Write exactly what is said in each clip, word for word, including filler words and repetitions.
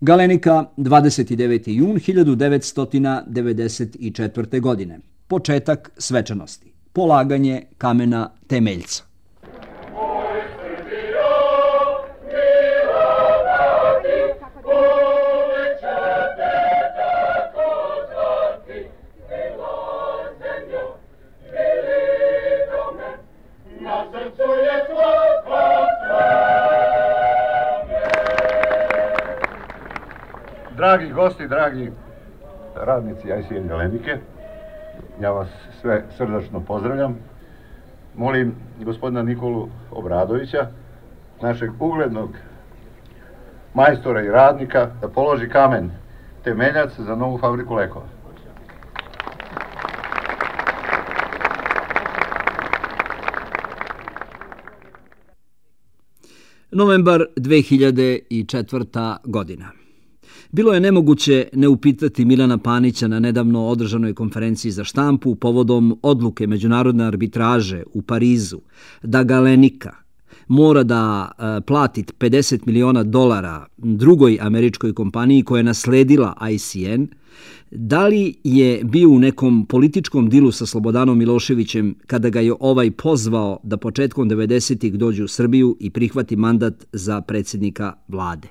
Galenika, dvadeset deveti jun hiljadu devetsto devedeset četvrte. godine. Početak svečanosti. Polaganje kamena temeljca. Dragi gosti, dragi radnici I C N Galenike, ja vas sve srdačno pozdravljam. Molim gospodina Nikolu Obradovića, našeg uglednog majstora i radnika, da položi kamen temeljac za novu fabriku lekova. Novembar dve hiljade četvrta. godina. Bilo je nemoguće ne upitati Milana Panića na nedavno održanoj konferenciji za štampu povodom odluke međunarodne arbitraže u Parizu da Galenika mora da plati pedeset miliona dolara drugoj američkoj kompaniji koja je nasledila I C N, da li je bio u nekom političkom dilu sa Slobodanom Miloševićem kada ga je ovaj pozvao da početkom devedesetih dođe u Srbiju i prihvati mandat za predsjednika vlade?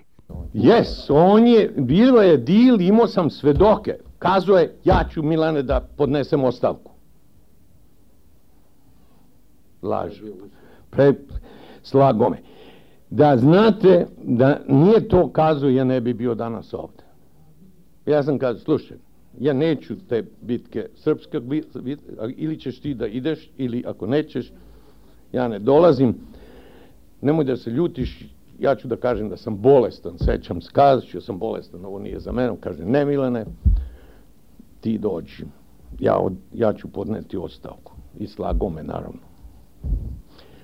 Jes, on je, bilo je dil, imao sam svedoke. Kazao je, ja ću, Milane, da podnesem ostavku. Laž. Pre, slago me. Da znate, da nije to kazao, ja ne bi bio danas ovde. Ja sam kazao, slušaj, ja neću te bitke srpske, ili ćeš ti da ideš, ili ako nećeš, ja ne dolazim. Nemoj da se ljutiš. Ja ću da kažem da sam bolestan, sećam se, kazat ću sam bolestan, ovo nije za mene, kaže ne Milane, ti dođi, ja, od, ja ću podneti ostavku i slago me naravno.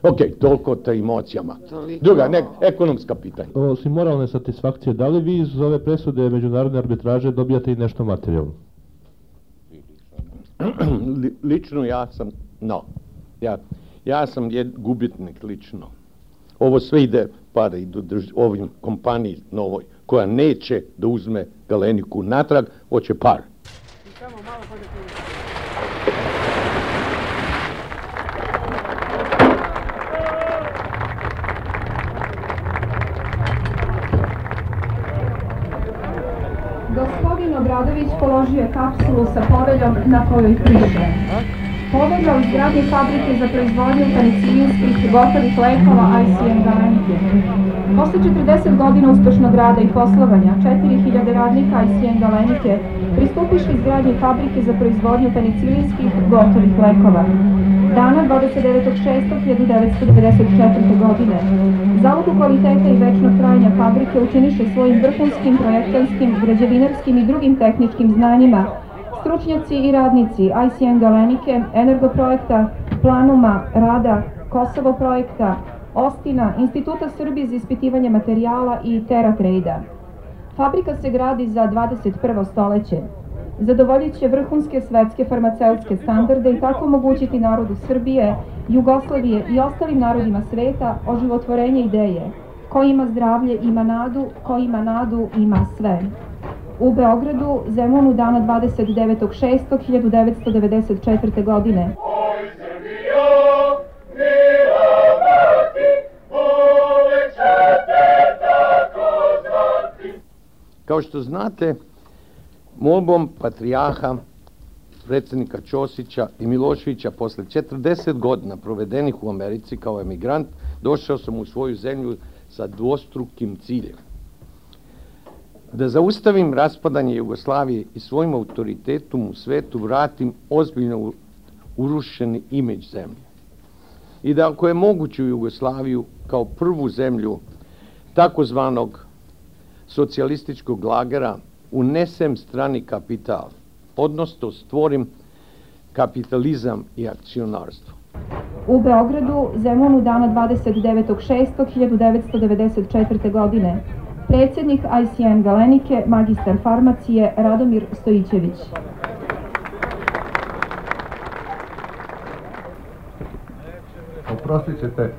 Ok, toliko o emocijama. Druga, ne, ekonomska pitanja. Osim moralne satisfakcije, da li vi iz ove presude međunarodne arbitraže dobijate i nešto materijalno? Lično ja sam, no, ja, ja sam jed, gubitnik lično. Ovo sve ide, pare idu ovim kompaniji novoj, koja neće da uzme Galeniku natrag, hoće par. Gospodin Obradović položio je kapsulu sa poveljom na kojoj piše: Povelja o izgradnji fabrike za proizvodnju penicillinskih gotovih lekova I C N Galenike. Posle četrdeset godina uspešnog rada i poslovanja, četiri hiljade radnika I C N Galenike pristupiše izgradnji fabrike za proizvodnju penicillinskih gotovih lekova. Dana dvadeset devetog šestog hiljadu devetsto devedeset četvrte. godine zalogu kvaliteta i večnog trajanja fabrike učiniše svojim vrhunskim projektanskim, građevinarskim i drugim tehničkim znanjima stručnjaci i radnici I C N Galenike, Energoprojekta, Planuma, Rada, Kosovo projekta, Ostina, Instituta Srbije za ispitivanje materijala i TerraTrade-a. Fabrika se gradi za dvadeset prvo stoleće. Zadovoljit će vrhunske svetske farmaceutske standarde i tako omogućiti narodu Srbije, Jugoslavije i ostalim narodima sveta oživotvorenje ideje. Ko ima zdravlje ima nadu, ko ima nadu ima sve. U Beogradu, Zemunu, dana dvadeset devetog šestog hiljadu devetsto devedeset četvrte. godine. Kao što znate, molbom patrijarha, predsjednika Ćosića i Miloševića, posle četrdeset godina provedenih u Americi kao emigrant, došao sam u svoju zemlju sa dvostrukim ciljem. Da zaustavim raspadanje Jugoslavije i svojim autoritetom u svetu vratim ozbiljno urušeni imidž zemlje. I da ako je moguće u Jugoslaviju kao prvu zemlju takozvanog socijalističkog lagera unesem strani kapital, odnosno stvorim kapitalizam i akcionarstvo. U Beogradu, Zemunu, dana dvadeset devetog šestog hiljadu devetsto devedeset četvrte. godine. Predsjednik I C N Galenike, magistar farmacije Radomir Stojićević. Oprostit ćete,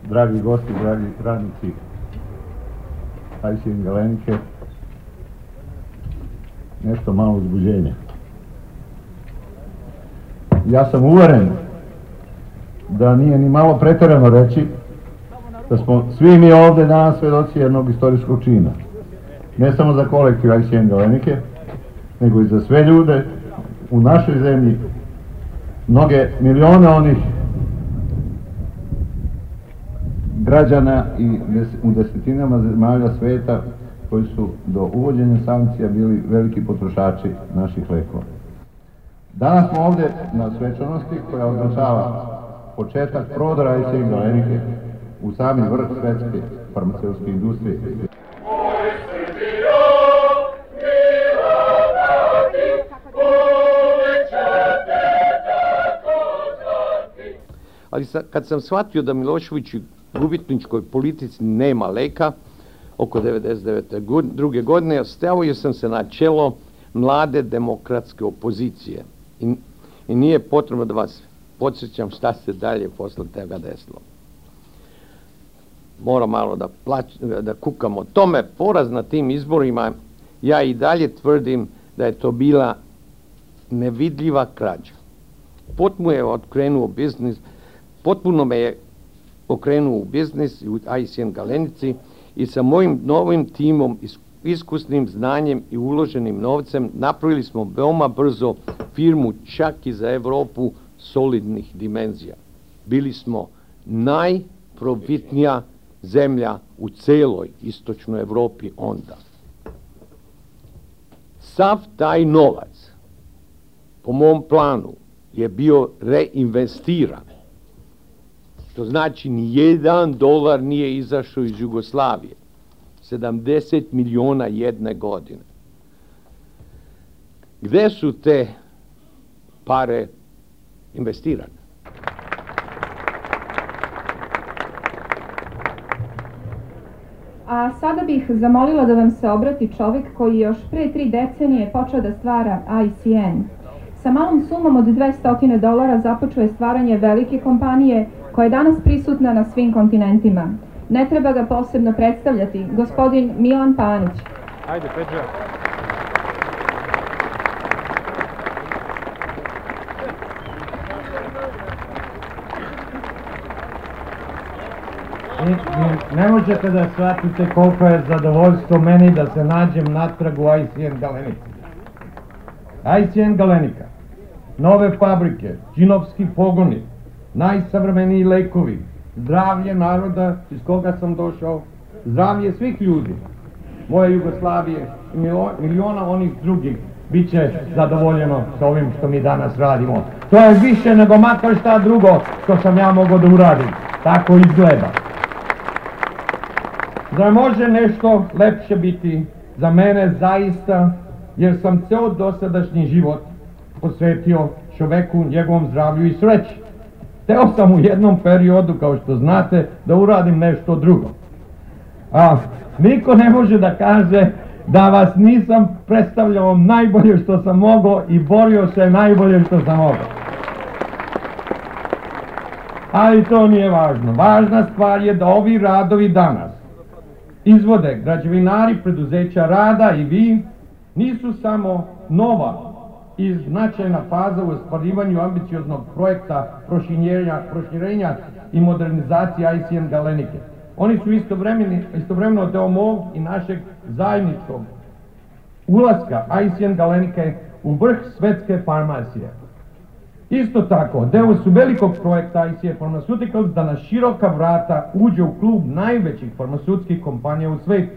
dragi gosti, dragi radnici I C N Galenike nešto malo uzbuđenja. Ja sam uveren da nije ni malo pretjerano reći da smo svi mi ovdje danas svedoci jednog istorijskog čina. Ne samo za kolektiv I C N Galenike, nego i za sve ljude u našoj zemlji, mnoge milione onih građana i u desetinama zemalja sveta koji su do uvođenja sankcija bili veliki potrošači naših lekova. Danas smo ovdje na svečanosti koja označava početak prodora I C N Galenike u sami vrh svetske farmaceutske industrije. Ali kad sam shvatio da Milošević u gubitničkoj politici nema leka, oko devedeset devete druge godine, stavio sam se na čelo mlade demokratske opozicije. I, i nije potrebno da vas podsjećam šta se dalje posle tega desilo. Moram malo da, plać, da kukam o tome. Poraz na tim izborima, ja i dalje tvrdim da je to bila nevidljiva krađa. Potpuno je okrenuo biznis, potpuno me je okrenuo u biznis u I C N Galenici i sa mojim novim timom, iskusnim znanjem i uloženim novcem napravili smo veoma brzo firmu čak i za Evropu solidnih dimenzija. Bili smo najprofitnija zemlja u celoj istočnoj Evropi onda. Sav taj novac, po mom planu, je bio reinvestiran. To znači ni jedan dolar nije izašao iz Jugoslavije. sedamdeset miliona jedne godine. Gde su te pare investirane? A sada bih zamolila da vam se obrati čovjek koji još pre tri decenije počeo da stvara I C N. Sa malom sumom od dvesta dolara započeo je stvaranje velike kompanije koja je danas prisutna na svim kontinentima. Ne treba ga posebno predstavljati, gospodin Milan Panić. Ajde, Peđa. Ne možete da shvatite koliko je zadovoljstvo meni da se nađem natrag u I C N Galenici. I C N Galenika, nove fabrike, džinovski pogoni, najsavremeniji lekovi, zdravlje naroda iz koga sam došao, zdravlje svih ljudi, moje Jugoslavije i miliona onih drugih bit će zadovoljeno sa ovim što mi danas radimo. To je više nego makar šta drugo što sam ja mogao da uradim. Tako izgleda. Zar može nešto lepše biti za mene zaista, jer sam ceo dosadašnji život posvetio čoveku, njegovom zdravlju i sreći. Teo sam u jednom periodu, kao što znate, da uradim nešto drugo. A niko ne može da kaže da vas nisam predstavljao najbolje što sam mogao i borio se najbolje što sam mogao. Ali to nije važno. Važna stvar je da ovi radovi danas izvode građevinari preduzeća rada i vi nisu samo nova i značajna faza u ostvarivanju ambicioznog projekta proširenja, proširenja i modernizacije I C N Galenike. Oni su istovremeno deo mog i našeg zajedničkog ulaska I C N Galenike u vrh svetske farmacije. Isto tako, deo su velikog projekta I C N Pharmaceuticals da na široka vrata uđe u klub najvećih farmaceutskih kompanija u svetu.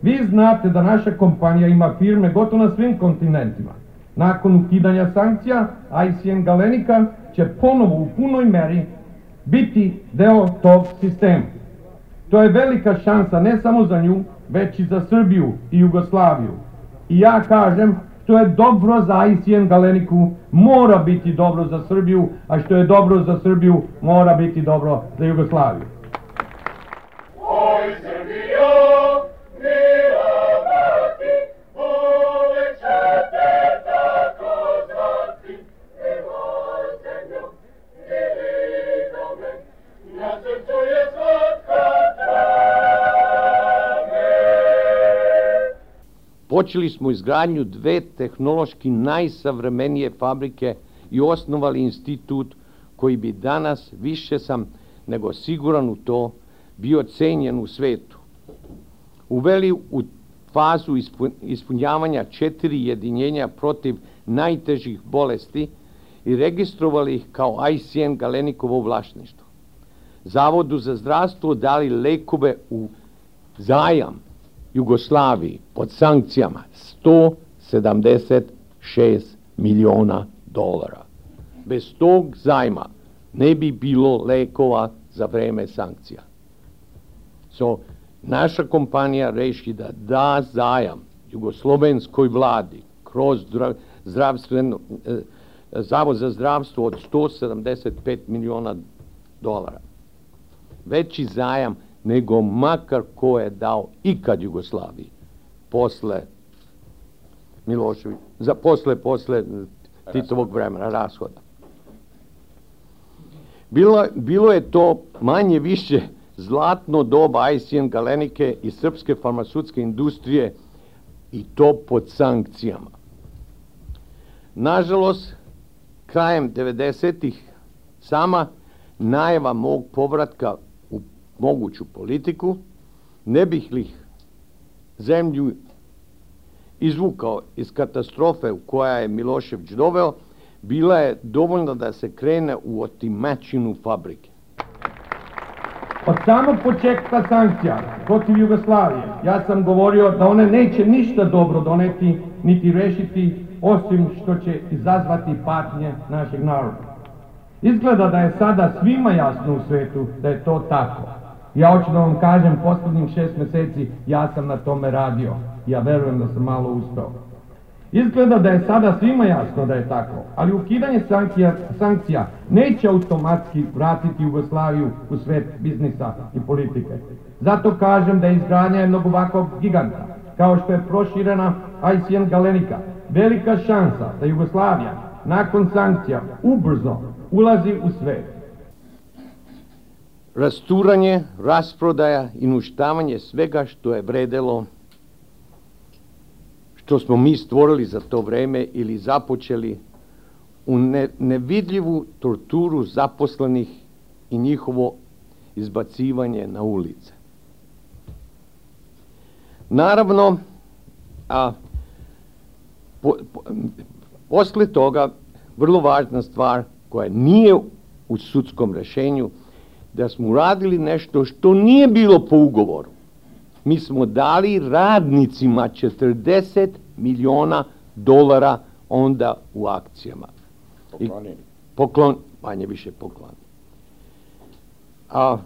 Vi znate da naša kompanija ima firme gotovo na svim kontinentima. Nakon ukidanja sankcija, I C N Galenika će ponovo u punoj meri biti deo tog sistema. To je velika šansa ne samo za nju, već i za Srbiju i Jugoslaviju. I ja kažem, što je dobro za I C N Galeniku, mora biti dobro za Srbiju, a što je dobro za Srbiju, mora biti dobro za Jugoslaviju. Oj, Srbijo, mila mati, uvek će te tako zvati. Miloj zemljo, mili dome, na srcu je slatka tva. Počeli smo izgradnju dve tehnološki najsavremenije fabrike i osnovali institut koji bi danas, više sam nego siguran u to, bio cenjen u svetu. Uveli u fazu ispunjavanja četiri jedinjenja protiv najtežih bolesti i registrovali ih kao I C N Galenikovo vlasništvo. Zavodu za zdravstvo dali lekove u zajam Jugoslaviji pod sankcijama sto sedamdeset šest miliona dolara. Bez tog zajma ne bi bilo lekova za vreme sankcija. So, naša kompanija reši da da zajam jugoslovenskoj vladi kroz zdravstveno, eh, zavod za zdravstvo od sto sedamdeset pet miliona dolara. Veći zajam nego makar ko je dao ikad Jugoslaviji posle Miloševića, za posle, posle Titovog vremena, rashoda. Bilo, bilo je to manje više zlatno doba I C N Galenike i srpske farmaceutske industrije i to pod sankcijama. Nažalost, krajem devedesetih sama najava mog povratka u moguću politiku, ne bih li zemlju izvukao iz katastrofe u koja je Milošević doveo, bila je dovoljno da se krene u otimačinu fabrike. Od samog početka sankcija protiv Jugoslavije ja sam govorio da one neće ništa dobro doneti niti rešiti osim što će izazvati patnje našeg naroda. Izgleda da je sada svima jasno u svetu da je to tako. Ja hoću da vam kažem, poslednjih šest meseci ja sam na tome radio. Ja verujem da sam malo uspeo. Izgleda da je sada svima jasno da je tako, ali ukidanje sankcija, sankcija neće automatski vratiti Jugoslaviju u svet biznisa i politike. Zato kažem da je izgradnja jednog ovakvog giganta, kao što je proširena I C N Galenika, velika šansa da Jugoslavija nakon sankcija ubrzo ulazi u svet. Rasturanje, rasprodaja i uništavanje svega što je vredelo, što smo mi stvorili za to vreme ili započeli, u ne, nevidljivu torturu zaposlenih i njihovo izbacivanje na ulice. Naravno, a po, po, posle toga vrlo važna stvar koja nije u sudskom rešenju, da smo uradili nešto što nije bilo po ugovoru. Mi smo dali radnicima četrdeset miliona dolara onda u akcijama. Poklonili. Poklon, manje više poklon. A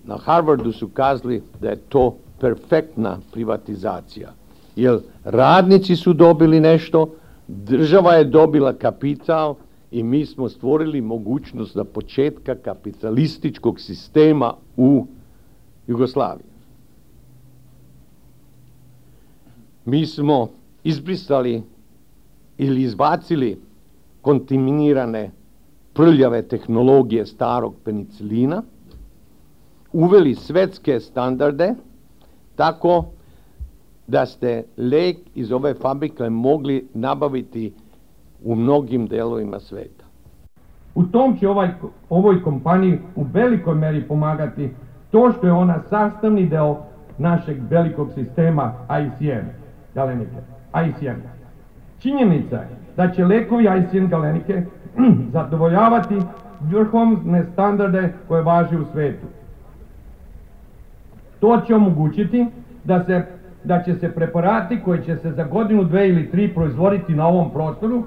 na Harvardu su kazali da je to perfektna privatizacija. Jer radnici su dobili nešto, država je dobila kapital i mi smo stvorili mogućnost za početka kapitalističkog sistema u Jugoslaviji. Mi smo izbrisali ili izbacili kontaminirane prljave tehnologije starog penicilina, uveli svetske standarde tako da ste lek iz ove fabrike mogli nabaviti u mnogim delovima sveta. U tom će ovaj, ovoj kompaniji u velikoj meri pomagati to što je ona sastavni deo našeg velikog sistema I C N Galenike. I C N. Činjenica je da će lekovi I C N Galenike zadovoljavati vrhovne standarde koje važi u svetu. To će omogućiti da, se, da će se preparati koji će se za godinu, dve ili tri proizvoditi na ovom prostoru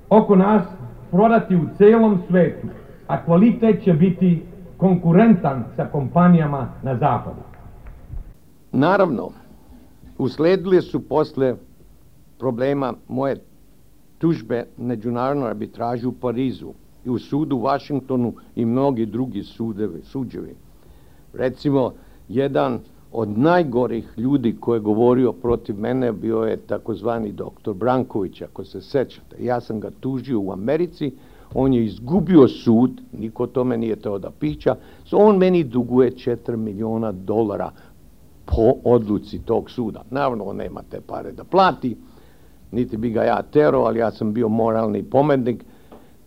oko nas prodati u celom svetu, a kvalitet će biti konkurentan sa kompanijama na zapadu. Naravno, usledile su posle problema moje tužbe međunarodnoj arbitraži u Parizu i u sudu u Vašingtonu i mnogi drugi sudevi, suđevi. Recimo, jedan od najgorih ljudi koji je govorio protiv mene bio je takozvani doktor Branković, ako se sećate. Ja sam ga tužio u Americi, on je izgubio sud, niko tome nije teo da pića, so on meni duguje četiri miliona dolara po odluci tog suda. Naravno, on nema te pare da plati, niti bi ga ja terao, ali ja sam bio moralni pomednik.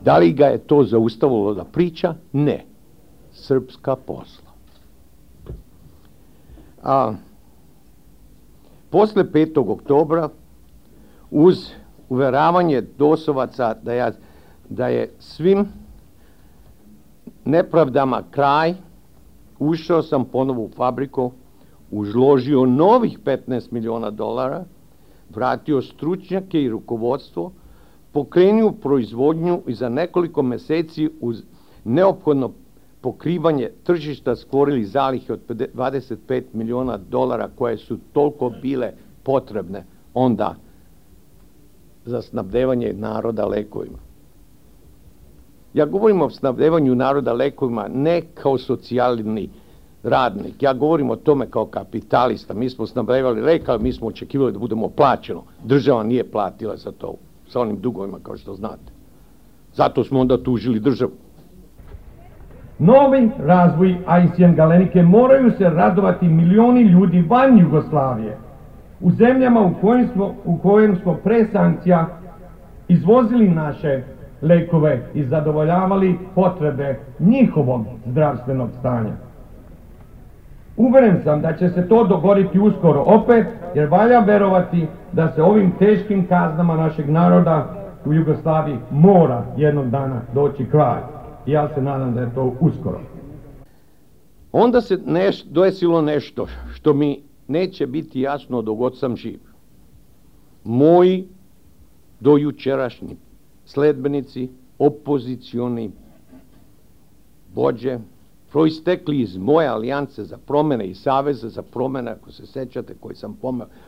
Da li ga je to zaustavilo da priča? Ne. Srpska posla. A, posle petog oktobra, uz uveravanje Dosovaca da, ja, da je svim nepravdama kraj, ušao sam ponovo u fabriku, užložio novih petnaest miliona dolara, vratio stručnjake i rukovodstvo, pokrenuo proizvodnju i za nekoliko meseci uz neophodno pokrivanje tržišta stvorili zalihe od dvadeset pet miliona dolara koje su toliko bile potrebne onda za snabdevanje naroda lekovima. Ja govorim o snabdevanju naroda lekovima ne kao socijalni radnik, ja govorim o tome kao kapitalista. Mi smo snabdevali lek, ali mi smo očekivali da budemo plaćeno. Država nije platila za to, sa onim dugovima kao što znate. Zato smo onda tužili državu. Novi razvoj I C M Galenike moraju se radovati milioni ljudi van Jugoslavije. U zemljama u kojim smo, u kojim smo pre sankcija izvozili naše lekove i zadovoljavali potrebe njihovog zdravstvenog stanja. Uveren sam da će se to dogoditi uskoro opet, jer valja verovati da se ovim teškim kaznama našeg naroda u Jugoslaviji mora jednog dana doći kraj. I ja se nadam da je to uskoro. Onda se neš, desilo nešto što mi neće biti jasno dok god sam živ. Moji dojučerašnji sledbenici, opozicioni vođe, proistekli iz moje alijance za promene i saveza za promene, ako se sećate, koji sam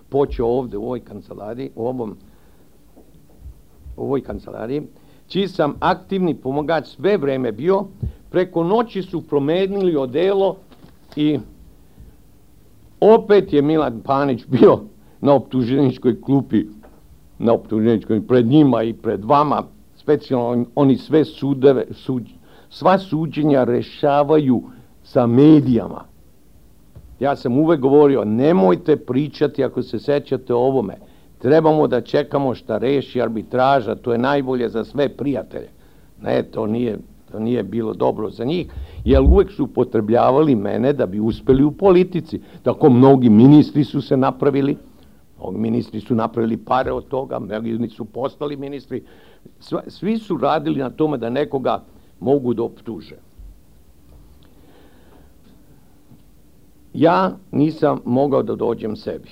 počeo ovde u ovoj kancelariji, u ovom, u ovoj kancelariji, čiji sam aktivni pomagač sve vreme bio, preko noći su promenili odelo i opet je Milan Panić bio na optuženičkoj klupi, na optuženičkoj pred njima i pred vama, specijalno oni sve sudeve, suđ, sva suđenja rešavaju sa medijama. Ja sam uvek govorio, nemojte pričati ako se sećate o ovome. Trebamo da čekamo šta reši arbitraža, to je najbolje za sve prijatelje. Ne, to nije, to nije bilo dobro za njih, jer uvek su upotrebljavali mene da bi uspeli u politici. Tako mnogi ministri su se napravili, mnogi ministri su napravili pare od toga, mnogi su postali ministri. Svi su radili na tome da nekoga mogu da optuže. Ja nisam mogao da dođem sebi.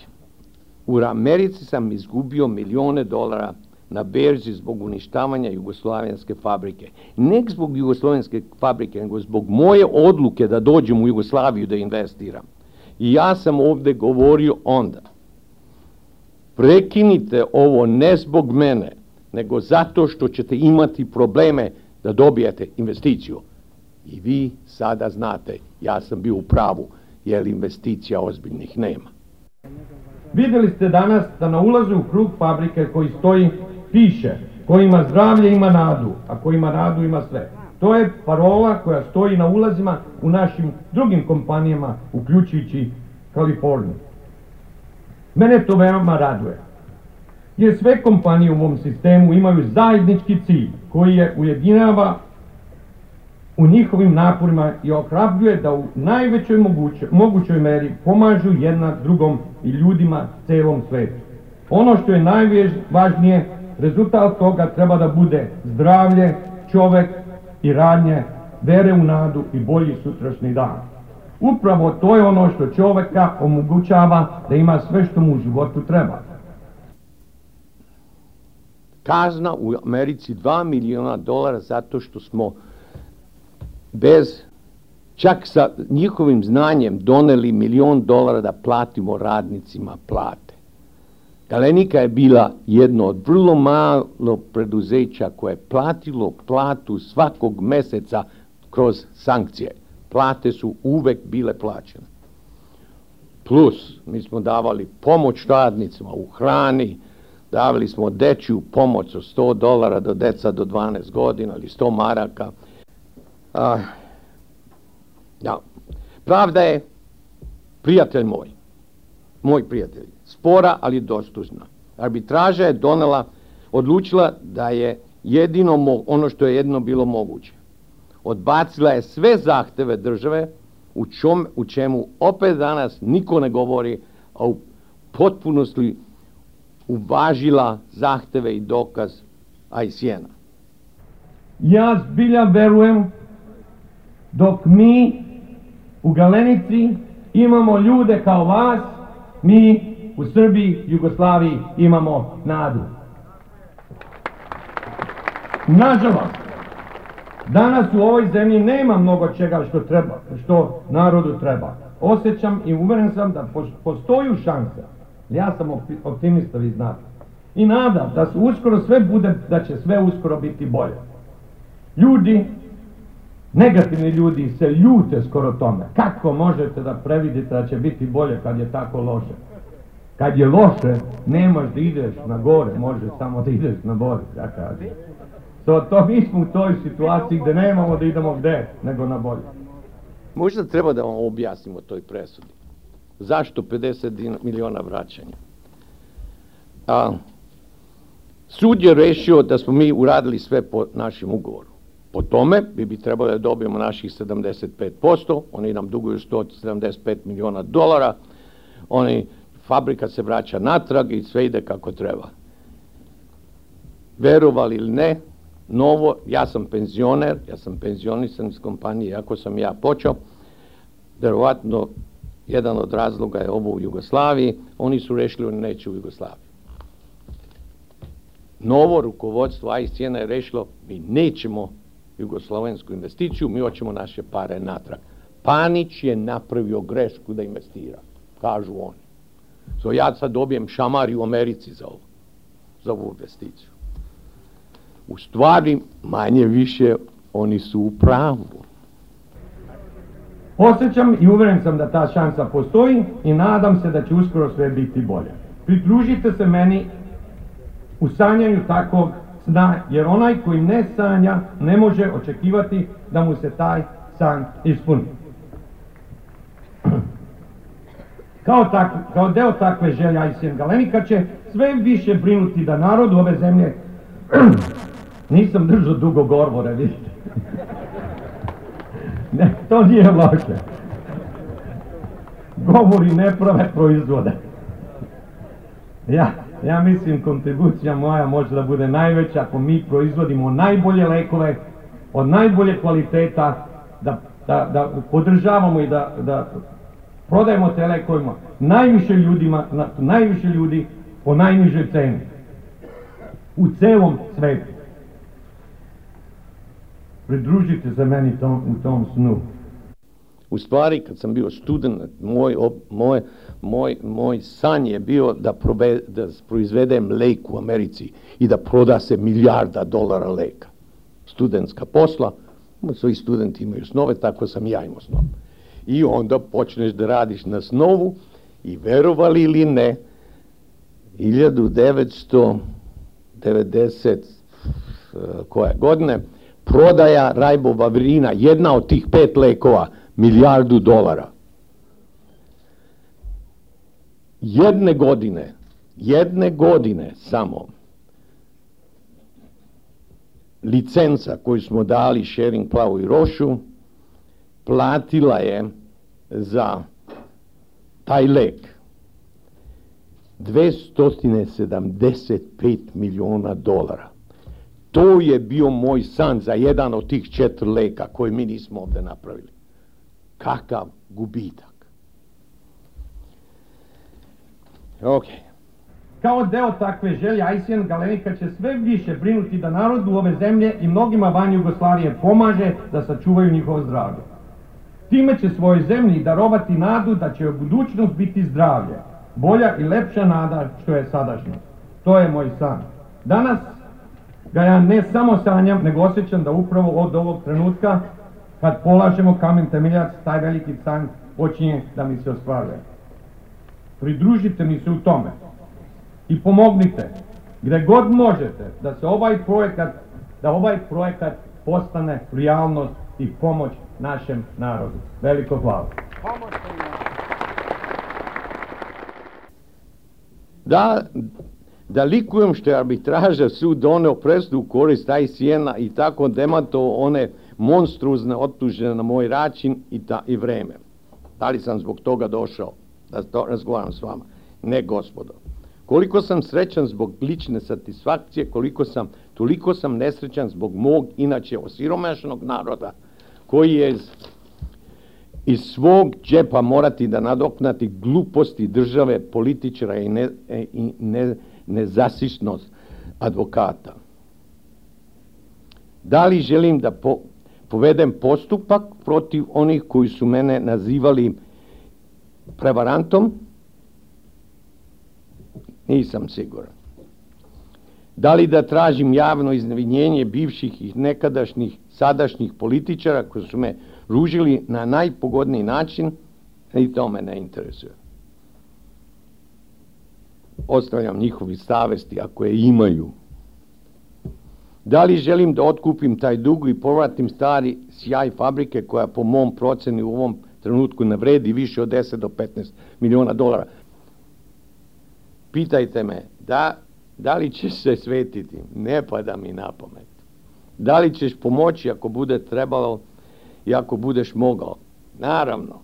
U Americi sam izgubio milione dolara na berzi zbog uništavanja jugoslovenske fabrike. Ne zbog jugoslovenske fabrike, nego zbog moje odluke da dođem u Jugoslaviju da investiram. I ja sam ovde govorio onda, prekinite ovo ne zbog mene, nego zato što ćete imati probleme da dobijete investiciju. I vi sada znate, ja sam bio u pravu, jer investicija ozbiljnih nema. Vidjeli ste danas da na ulazu u krug fabrike koji stoji piše ko ima zdravlje ima nadu, a ko ima nadu ima sve. To je parola koja stoji na ulazima u našim drugim kompanijama, uključujući Kaliforniju. Mene to veoma raduje, jer sve kompanije u ovom sistemu imaju zajednički cilj koji je ujedinjava u njihovim naporima i ohrabruje da u najvećoj moguće, mogućoj meri pomažu jedna drugom i ljudima celom svetu. Ono što je najvažnije, rezultat toga treba da bude zdravlje, čovek i radnje, vere u nadu i bolji sutrašnji dan. Upravo to je ono što čoveka omogućava da ima sve što mu u životu treba. Kazna u Americi dva miliona dolara zato što smo bez, čak sa njihovim znanjem doneli milion dolara da platimo radnicima plate. Galenika je bila jedno od vrlo malo preduzeća koje je platilo platu svakog meseca kroz sankcije. Plate su uvek bile plaćene. Plus, mi smo davali pomoć radnicima u hrani, davali smo dečju pomoć od sto dolara do deca do dvanaest godina ili sto maraka. Uh, ja. Pravda je, prijatelj moj, moji prijatelji, spora, ali dostužna. Arbitraža je donela, odlučila da je jedino ono što je jedino bilo moguće. Odbacila je sve zahteve države, u, čom, u čemu opet danas niko ne govori, a u potpunosti uvažila zahteve i dokaz I C N-a. Ja zbilja verujem dok mi u Galenici imamo ljude kao vas, mi u Srbiji, Jugoslaviji imamo nadu. Nažalost, danas u ovoj zemlji nema mnogo čega što treba, što narodu treba. Osjećam i uveren sam da postoji šansa. Ja sam optimista, vi znate. I nadam da se uskoro sve bude, da će sve uskoro biti bolje. Ljudi, negativni ljudi se ljute skoro tome. Kako možete da previdite da će biti bolje kad je tako loše? Kad je loše, nemaš da ideš na gore, možeš samo da ideš na bolje, ja kažem. So, to mi smo u toj situaciji gde nemamo da idemo gde, nego na bolje. Možda treba da vam objasnimo toj presudi. Zašto pedeset miliona vraćanja? A, sud je rešio da smo mi uradili sve po našem ugovoru. Po tome bi bi trebalo da dobijemo naših sedamdeset pet posto, oni nam duguju sto sedamdeset pet miliona dolara, oni, fabrika se vraća natrag i sve ide kako treba. Verovali ili ne, novo, ja sam penzioner, ja sam penzionisan iz kompanije, ako sam ja počeo, verovatno jedan od razloga je ovo u Jugoslaviji, oni su rešili, oni neće u Jugoslaviji. Novo rukovodstvo I C N-a je rešilo, mi nećemo jugoslovensku investiciju, mi hoćemo naše pare natrag. Panić je napravio grešku da investira, kažu oni. So ja sad dobijem šamar u Americi za ovo, za ovu investiciju. U stvari, manje više, oni su u pravu. Osjećam i uveren sam da ta šansa postoji i nadam se da će uskoro sve biti bolje. Pridružite se meni u sanjanju takvog sna, jer onaj koji ne sanja ne može očekivati da mu se taj san ispuni. Kao, tak, kao deo takve želje I C N Galenika će sve više brinuti da narod ove zemlje nisam držao dugo govore, vidite. Ne, to nije loše. Govori ne prave proizvode. Ja, ja mislim kontribucija moja može da bude najveća ako mi proizvodimo najbolje lekove, od najbolje kvaliteta, da, da, da podržavamo i da, da prodajemo te lekovima najviše ljudima, na, najviše ljudi po najnižoj ceni. U celom svetu. Pridružite se meni tom, u tom snu. U stvari, kad sam bio student, moj, moj, moj, moj san je bio da, probe, da proizvedem lek u Americi i da proda se milijarda dolara leka. Studentska posla, svi studenti imaju snove, tako sam ja imao snov. I onda počneš da radiš na snovu i verovali ili ne, hiljadu devetsto devedeset koje godine, prodaja Rajbovavirina, jedna od tih pet lekova, milijardu dolara. Jedne godine, jedne godine samo, licenca koju smo dali Schering Plau i Rošu, platila je za taj lek dvesta sedamdeset pet miliona dolara. To je bio moj san za jedan od tih četiri leka koje mi nismo ovde napravili. Kakav gubitak. Ok. Kao deo takve želje, I C N Galenika će sve više brinuti da narodu ove zemlje i mnogima van Jugoslavije pomaže da sačuvaju njihovo zdravlje. Time će svojoj zemlji darovati nadu da će u budućnost biti zdravlje, bolja i lepša nada što je sadašnjost. To je moj san. Danas ga ja ne samo sanjam, nego osjećam da upravo od ovog trenutka, kad polažemo kamen temeljac, taj veliki san počinje da mi se ostvaruje. Pridružite mi se u tome i pomognite gde god možete da se ovaj projekat, da ovaj projekat postane realnost i pomoć našem narodu. Veliko hvala. Da, da likujem što je arbitraža sud doneo presudu u korist I C N-a i tako demantovao one monstruozne optužbe na moj račun i, ta, i vreme. Da li sam zbog toga došao da to razgovaram s vama? Ne, gospodo. Koliko sam srećan zbog lične satisfakcije, koliko sam, toliko sam nesrećan zbog mog, inače osiromašenog naroda, koji je iz, iz svog džepa morati da nadoknati gluposti države, političara i, ne, i ne, nezasišnost advokata. Da li želim da po, povedem postupak protiv onih koji su mene nazivali prevarantom? Nisam siguran. Da li da tražim javno izvinjenje bivših i nekadašnjih, sadašnjih političara koji su me ružili na najpogodniji način? I to me ne interesuje. Ostavljam njihovi savesti ako je imaju. Da li želim da otkupim taj dug i povratim stari sjaj fabrike koja po mom proceni u ovom trenutku ne vredi više od deset do petnaest miliona dolara? Pitajte me, da, da li ćeš se svetiti? Ne pada mi na pamet. Da li ćeš pomoći ako bude trebalo i ako budeš mogao? Naravno.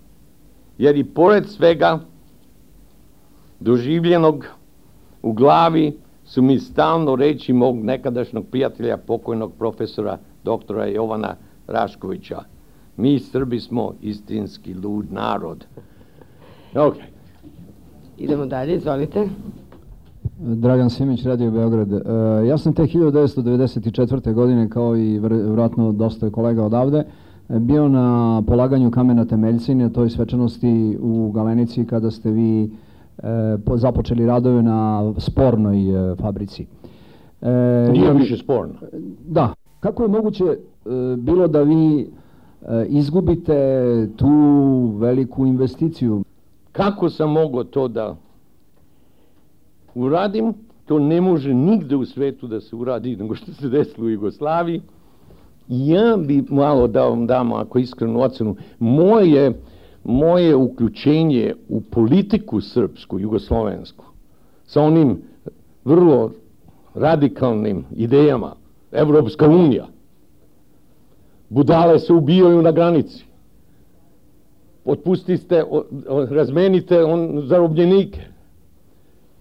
Jer i pored svega doživljenog u glavi su mi stalno reći mog nekadašnjeg prijatelja, pokojnog profesora doktora Jovana Raškovića. Mi Srbi smo istinski lud narod. Ok. Idemo dalje, izvolite. Dragan Simić, Radio Beograd. Ja sam te hiljadu devetsto devedeset četvrte. godine, kao i vjerojatno dosta kolega odavde, bio na polaganju kamena temeljca na toj svečanosti u Galenici kada ste vi započeli radove na spornoj fabrici. Nije više sporno. Da. Kako je moguće bilo da vi izgubite tu veliku investiciju? Kako sam mogao to da uradim? To ne može nigde u svetu da se uradi nego što se desilo u Jugoslaviji. Ja bi malo da vam dam, ako iskrenu ocenu, moje, moje uključenje u politiku srpsku, jugoslovensku, sa onim vrlo radikalnim idejama, Evropska unija, budale se ubijaju na granici, otpustite, razmenite on zarobljenike,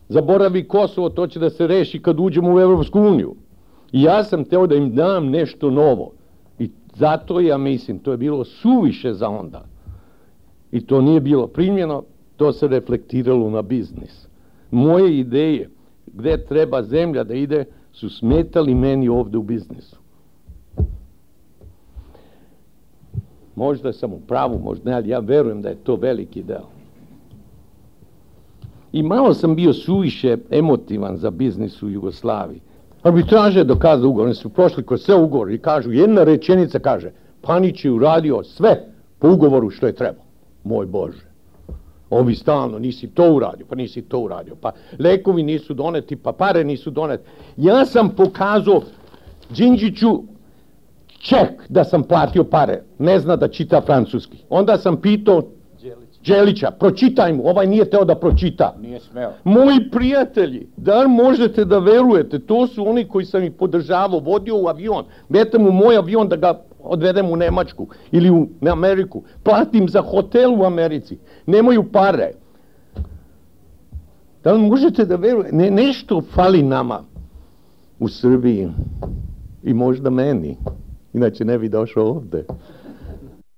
zaboravi Kosovo, to će da se reši kad uđemo u Evropsku uniju. I ja sam teo da im dam nešto novo. I zato ja mislim, to je bilo suviše za onda. I to nije bilo primljeno, to se reflektiralo na biznis. Moje ideje, gde treba zemlja da ide, su smetali meni ovde u biznisu. Možda sam u pravu, možda ne, ali ja verujem da je to veliki deo. I malo sam bio suviše emotivan za biznis u Jugoslaviji. Arbitraže je dokazao ugovor, oni su prošli kroz sve ugovor i kažu, jedna rečenica kaže, Panić je uradio sve po ugovoru što je trebao. Moj Bože, ovi stalno, nisi to uradio, pa nisi to uradio, pa lekovi nisu doneti, pa pare nisu doneti. Ja sam pokazao Đinđiću ček da sam platio pare, ne zna da čita francuski. Onda sam pitao Đelića, pročitaj mu, ovaj nije teo da pročita. Nije smeo. Moji prijatelji, da možete da verujete, to su oni koji sam ih podržavao, vodio u avion, metem u moj avion da ga odvedem u Nemačku ili u Ameriku, platim za hotel u Americi, nemaju pare. Da li možete da verujete, ne, nešto fali nama u Srbiji i možda meni, inače ne bi došao ovde.